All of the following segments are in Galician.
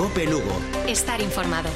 Cope Lugo. Estar informado.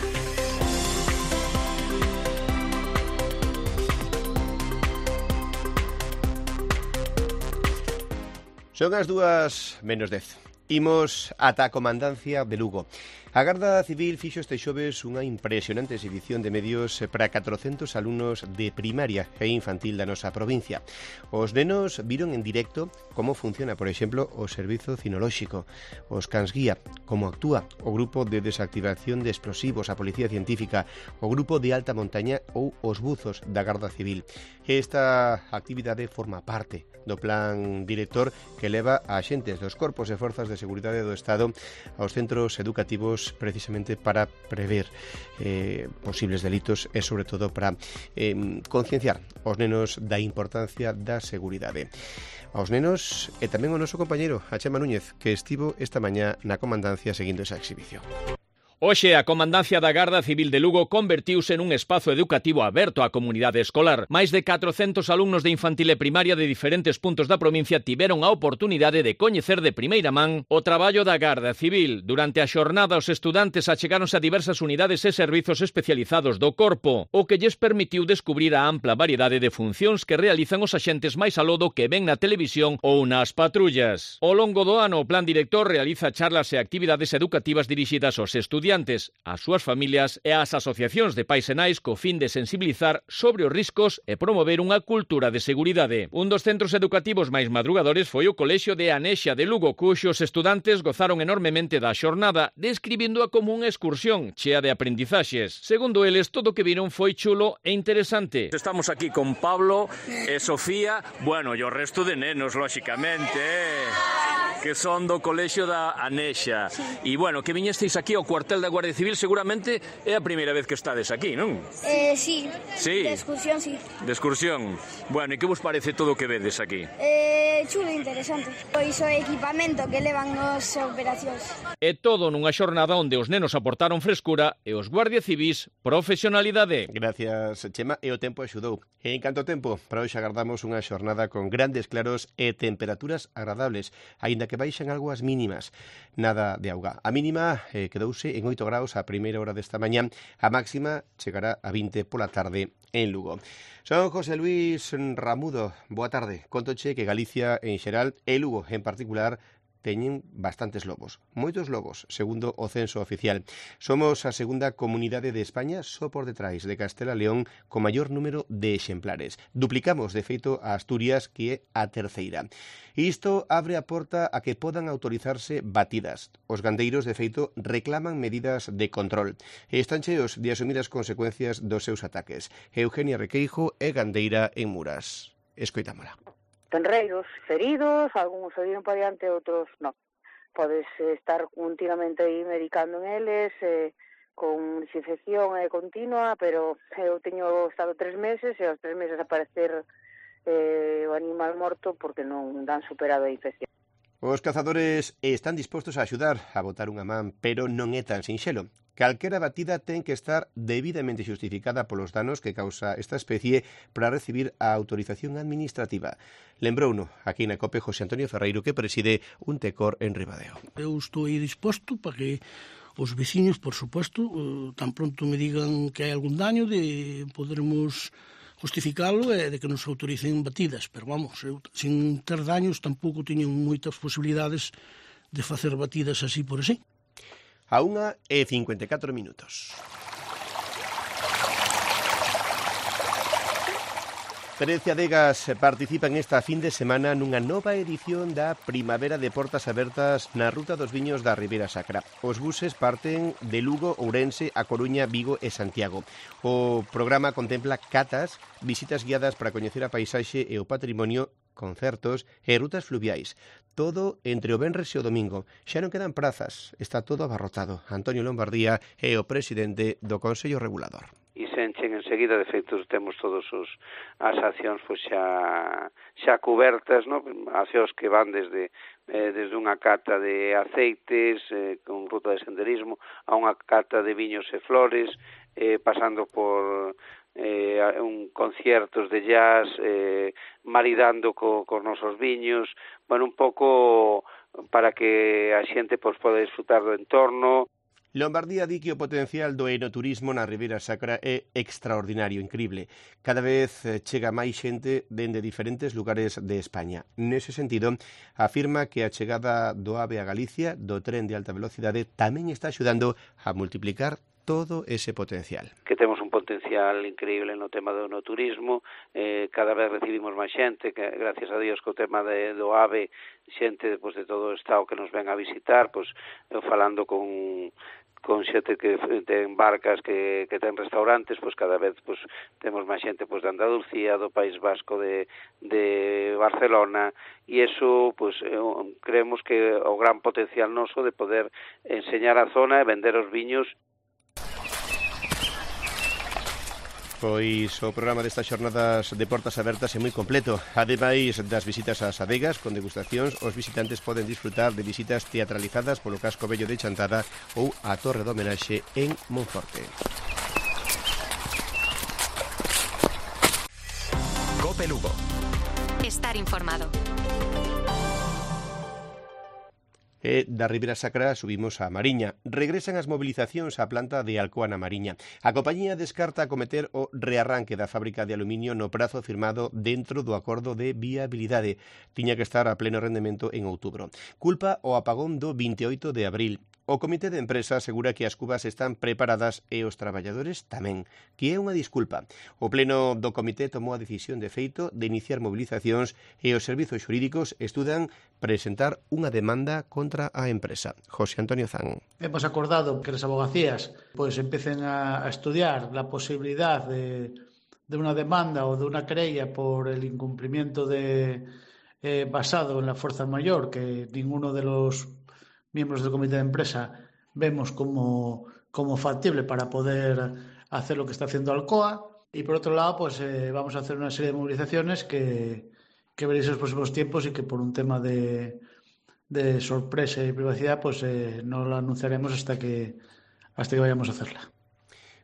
Son as 2:10. Imos ata a comandancia de Lugo. A Garda Civil fixo este xoves unha impresionante exhibición de medios para 400 alumnos de primaria e infantil da nosa provincia. Os nenos viron en directo como funciona, por exemplo, o servizo cinolóxico, os cans guía, como actúa o grupo de desactivación de explosivos, a Policía Científica, o grupo de alta montaña ou os buzos da Garda Civil. Esta actividade forma parte do plan director que leva a axentes dos corpos e forzas de seguridade do Estado aos centros educativos precisamente para prever posibles delitos e, sobre todo, para concienciar os nenos da importancia da seguridade. Aos nenos e tamén ao noso compañeiro, a Chema Núñez, que estivo esta mañá na comandancia seguindo esa exhibición. Hoxe a Comandancia da Garda Civil de Lugo convertiuse nun espazo educativo aberto á comunidade escolar. Máis de 400 alumnos de infantil e primaria de diferentes puntos da provincia tiveron a oportunidade de coñecer de primeira man o traballo da Garda Civil. Durante a xornada, os estudantes achegáronse a diversas unidades e servizos especializados do corpo, o que lles permitiu descubrir a ampla variedade de funcións que realizan os axentes máis aló do que ven na televisión ou nas patrullas. Ao longo do ano, o plan director realiza charlas e actividades educativas dirixidas aos estudiantes, ás súas familias e ás asociacións de pais e nais co fin de sensibilizar sobre os riscos e promover unha cultura de seguridade. Un dos centros educativos máis madrugadores foi o Colexio de Anexa de Lugo, cuxos estudantes gozaron enormemente da xornada, describíndoa como unha excursión chea de aprendizaxes. Segundo eles, todo o que viron foi chulo e interesante. Estamos aquí con Pablo e Sofía, bueno, e o resto de nenos, lóxicamente, que son do Colexio da Anexa. E, bueno, que viñesteis aquí ao cuartel da Guardia Civil, seguramente é a primeira vez que estades aquí, non? Sí. Sí. De excursión, sí. De excursión. Bueno, e que vos parece todo o que vedes aquí? Chulo e interesante. Pois o equipamento que levan nos operacións. E todo nunha xornada onde os nenos aportaron frescura e os guardia civís profesionalidade. Gracias, Chema, e o tempo axudou. En canto tempo, para hoxe agardamos unha xornada con grandes claros e temperaturas agradables, aínda que baixan algo as mínimas. Nada de auga. A mínima quedouse en 8 graus a primeira hora desta mañá, a máxima chegará a 20 pola tarde en Lugo. Son José Luis Ramudo, boa tarde. Contoche que Galicia en xeral e Lugo en particular teñen bastantes lobos, moitos lobos, segundo o censo oficial. Somos a segunda comunidade de España só por detrás de Castela León con maior número de exemplares. Duplicamos, de feito, a Asturias, que é a terceira. Isto abre a porta a que podan autorizarse batidas. Os gandeiros, de feito, reclaman medidas de control e están cheos de asumir as consecuencias dos seus ataques. Eugenia Requeijo é gandeira en Muras. Escoitámola. Tenreiros feridos, algúns se viron para diante, outros non. Podes estar continuamente aí medicando en eles, con desinfección continua, pero eu teño estado 3 meses e aos 3 meses aparecer o animal morto porque non dan superado a infección. Os cazadores están dispostos a axudar a botar unha man, pero non é tan sinxelo. Calquera batida ten que estar debidamente xustificada polos danos que causa esta especie para recibir a autorización administrativa. Lembrouno aquí na COPE José Antonio Ferreiro, que preside un tecor en Ribadeo. Eu estou aí disposto para que os veciños, por suposto, tan pronto me digan que hai algún daño, de podermos justificalo e de que nos autoricen batidas. Pero vamos, eu, sin ter daños, tampouco teño moitas posibilidades de facer batidas así por así. A 1:54 minutos. 13 adegas participan esta fin de semana nunha nova edición da Primavera de Portas Abertas na Ruta dos Viños da Ribeira Sacra. Os buses parten de Lugo, Ourense, A Coruña, Vigo e Santiago. O programa contempla catas, visitas guiadas para coñecer a paisaxe e o patrimonio, concertos e rutas fluviais. Todo entre o venres e o domingo. Xa non quedan prazas, está todo abarrotado. Antonio Lombardía é o presidente do Consello Regulador. E se enchen enseguida, de feito, temos todos as accións pois xa cubertas, no? Accións que van desde unha cata de aceites con ruta de senderismo a unha cata de viños e flores, pasando por conciertos de jazz, maridando cos nosos viños, bueno, un pouco para que a xente pois poda disfrutar do entorno. Lombardía di que o potencial do enoturismo na Ribeira Sacra é extraordinario, increíble. Cada vez chega máis xente dende diferentes lugares de España. Nese sentido, afirma que a chegada do AVE a Galicia, do tren de alta velocidade, tamén está axudando a multiplicar todo ese potencial. Que temos un potencial increíble no tema do enoturismo, cada vez recibimos máis xente, que gracias a Dios co tema do AVE, xente depois de todo o estado que nos ven a visitar, pois eu falando con xente que ten barcas, que ten restaurantes, pois cada vez pois temos máis xente pois de Andalucía, do País Vasco, de Barcelona, e iso pois creemos que o gran potencial noso de poder enseñar a zona e vender os viños. Pois o programa destas xornadas de portas abertas é moi completo. Ademais das visitas ás adegas con degustacións, os visitantes poden disfrutar de visitas teatralizadas polo casco vello de Chantada ou a Torre do Homenaxe en Monforte. COPE Lugo. Estar informado. E da Ribeira Sacra subimos a Mariña. Regresan as mobilizacións á planta de Alcoa na Mariña. A compañía descarta acometer o rearranque da fábrica de aluminio no prazo firmado dentro do acordo de viabilidade. Tiña que estar a pleno rendemento en outubro. Culpa o apagón do 28 de abril. O comité de empresa asegura que as cubas están preparadas e os traballadores tamén, que é unha disculpa. O pleno do comité tomou a decisión de feito de iniciar mobilizacións e os servizos xurídicos estudan presentar unha demanda contra a empresa. José Antonio Zan. Hemos acordado que as abogacías pues empecen a estudiar la posibilidad de una demanda o de una querella por el incumplimiento basado en la fuerza mayor que ninguno de los miembros del comité de empresa vemos como factible para poder hacer lo que está haciendo Alcoa, y por otro lado pues vamos a hacer una serie de movilizaciones que veréis en los próximos tiempos y que por un tema de sorpresa y privacidad pues no la anunciaremos hasta que vayamos a hacerla.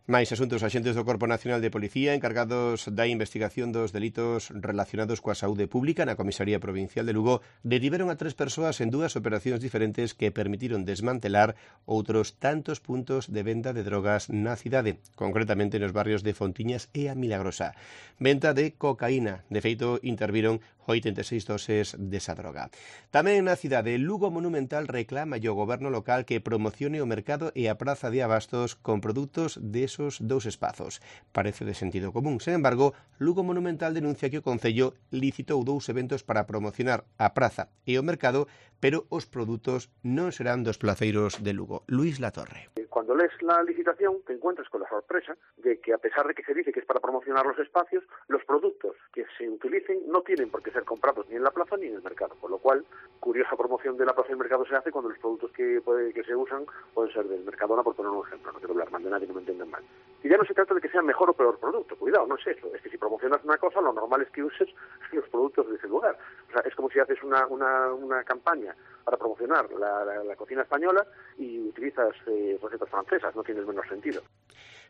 Máis asuntos. Axentes do Corpo Nacional de Policía encargados da investigación dos delitos relacionados coa saúde pública na Comisaría Provincial de Lugo detiveron a 3 persoas en 2 operacións diferentes que permitiron desmantelar outros tantos puntos de venda de drogas na cidade, concretamente nos barrios de Fontiñas e a Milagrosa. Venta de cocaína. De feito, interviron 86 doses desa droga. Tamén na cidade, Lugo Monumental reclama ao goberno local que promocione o mercado e a praza de abastos con produtos desos 2 espazos. Parece de sentido común. Sen embargo, Lugo Monumental denuncia que o Concello licitou 2 eventos para promocionar a praza e o mercado, pero os produtos non serán dos placeiros de Lugo. Luis Latorre. Cuando lees la licitación te encuentras con la sorpresa de que, a pesar de que se dice que es para promocionar los espacios, los productos que se utilicen no tienen por qué ser comprados ni en la plaza ni en el mercado, con lo cual curiosa promoción de la plaza y el mercado se hace cuando los productos que se usan pueden ser del Mercadona, por poner un ejemplo. No quiero hablar mal de nadie, no me entiendan mal. Y ya no se trata de que sea mejor o peor producto, cuidado, no es eso, es que si promocionas una cosa, lo normal es que uses los productos de ese lugar. O sea, es como si haces una campaña para promocionar la cocina española y utilizas recetas francesas, no tiene el menor sentido.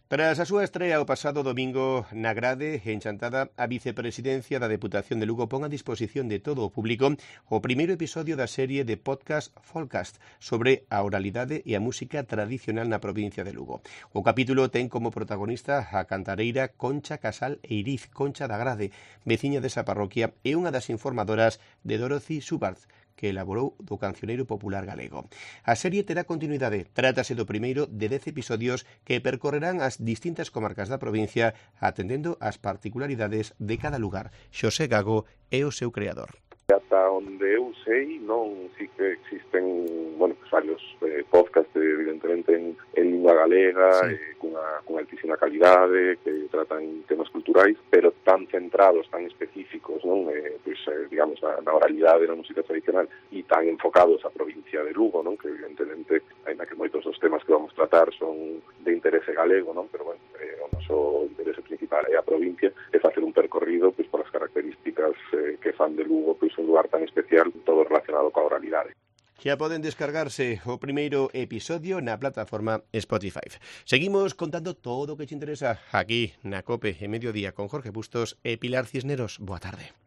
Tras a súa estrea o pasado domingo na grade en Chantada, a vicepresidencia da Deputación de Lugo pon a disposición de todo o público o primeiro episodio da serie de podcast Folcast sobre a oralidade e a música tradicional na provincia de Lugo. O capítulo ten como protagonista a cantareira Concha Casal Eiriz, Concha da Grade, veciña desa parroquia e unha das informadoras de Dorothy Subart, que elaborou do cancioneiro popular galego. A serie terá continuidade. Trátase do primeiro de 10 episodios que percorrerán as distintas comarcas da provincia atendendo ás particularidades de cada lugar. Xosé Gago é o seu creador. Ata onde eu sei, non, sí que existen, varios podcasts, evidentemente, en lingua galega, sí, con altísima calidade, que tratan temas culturais, pero tan centrados, tan específicos, non? Digamos, na oralidade, na música tradicional, e tan enfocados á provincia de Lugo, non? Que evidentemente, ainda que moitos dos temas que vamos tratar son de interese galego, non? Pero, o noso interese principal é a provincia, é facer un percorrido por as características que fan de Lugo un lugar tan especial, todo relacionado coa oralidade. Xa poden descargarse o primeiro episodio na plataforma Spotify. Seguimos contando todo o que te interesa aquí na COPE en Mediodía con Jorge Bustos e Pilar Cisneros. Boa tarde.